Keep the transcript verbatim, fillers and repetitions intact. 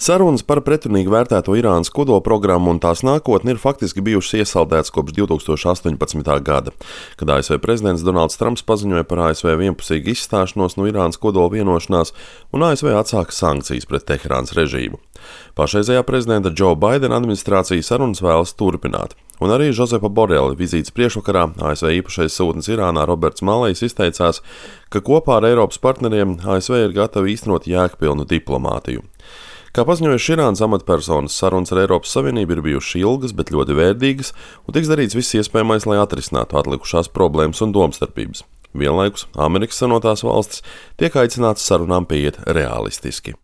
Sarunas par pretrunīgi vērtēto Irānas kodolprogrammu un tās nākotni ir faktiski bijušas iesaldētas kopš divi tūkstoši astoņpadsmitā gada, kad A S V prezidents Donalds Trumps paziņoja par A S V vienpusīgu izstāšanos no Irānas kodola vienošanās un A S V atsāka sankcijas pret Teherānas režīmu. Pašreizējā prezidenta Džo Baidena administrācija sarunas vēlas turpināt. Un arī Žozepa Borela vizītes priekšvakarā A S V īpašais sūtnis Irānā Roberts Malejs izteicās, ka kopā ar Eiropas partneriem A S V ir gatavi īstenot jēgpilnu diplomātiju. Kā paziņojuši Irānas amatpersonas, sarunas ar Eiropas Savienību ir bijušas ilgas, bet ļoti vērtīgas, un tiks darīts viss iespējamais, lai atrisinātu atlikušās problēmas un domstarpības. Vienlaikus Amerikas Savienotās valstis tiek aicinātas sarunām pieiet realistiski.